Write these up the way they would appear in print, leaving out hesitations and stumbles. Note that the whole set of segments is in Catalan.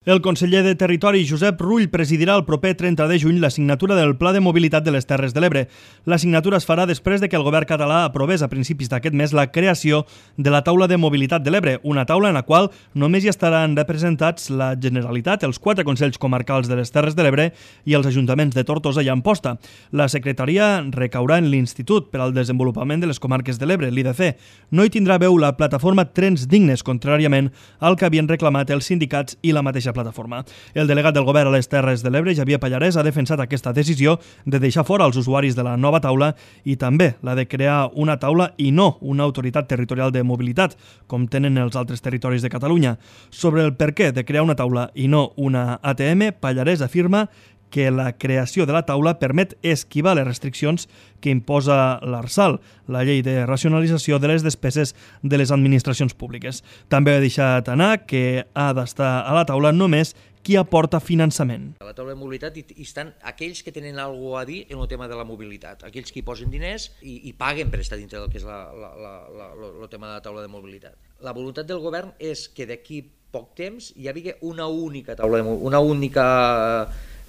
El conseller de Territori, Josep Rull, presidirà el proper 30 de juny la signatura del Pla de Mobilitat de les Terres de l'Ebre. La signatura es farà després de que el govern català aprovés a principis d'aquest mes la creació de la Taula de Mobilitat de l'Ebre, una taula en la qual només hi estaran representats la Generalitat, els 4 Consells Comarcals de les Terres de l'Ebre i els ajuntaments de Tortosa i Amposta. La secretaria recaurà en l'Institut per al Desenvolupament de les Comarques de l'Ebre, l'IDC. No hi tindrà veu la plataforma Trens Dignes, contràriament al que havien reclamat els sindicats i la mateixa plataforma. El delegat del govern a les Terres de l'Ebre, Xavier Pallarès, ha defensat aquesta decisió de deixar fora els usuaris de la nova taula i també la de crear una taula i no una autoritat territorial de mobilitat, com tenen els altres territoris de Catalunya. Sobre el perquè de crear una taula i no una ATM, Pallarès afirma que la creació de la taula permet esquivar les restriccions que imposa l'ARSAL, la llei de racionalització de les despeses de les administracions públiques. També ha deixat anar que ha d'estar a la taula només qui aporta finançament. A la taula de mobilitat hi estan aquells que tenen alguna cosa a dir en el tema de la mobilitat, aquells que hi posen diners i paguen per estar dintre del que és el tema de la taula de mobilitat. La voluntat del govern és que d'aquí poc temps hi hagi una única taula, una única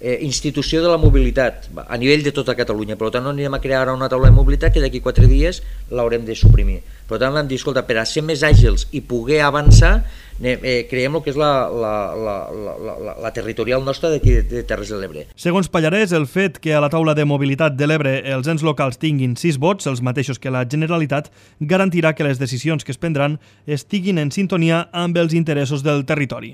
institució de la mobilitat a nivell de tota Catalunya. Per tant, no anirem a crear ara una taula de mobilitat que d'aquí 4 dies l'haurem de suprimir. Per tant, hem dit, escolta, per a ser més àgils i poder avançar, creiem el que és la territorial nostra d'aquí de Terres de l'Ebre. Segons Pallarès, el fet que a la taula de mobilitat de l'Ebre els ens locals tinguin 6 vots, els mateixos que la Generalitat, garantirà que les decisions que es prendran estiguin en sintonia amb els interessos del territori.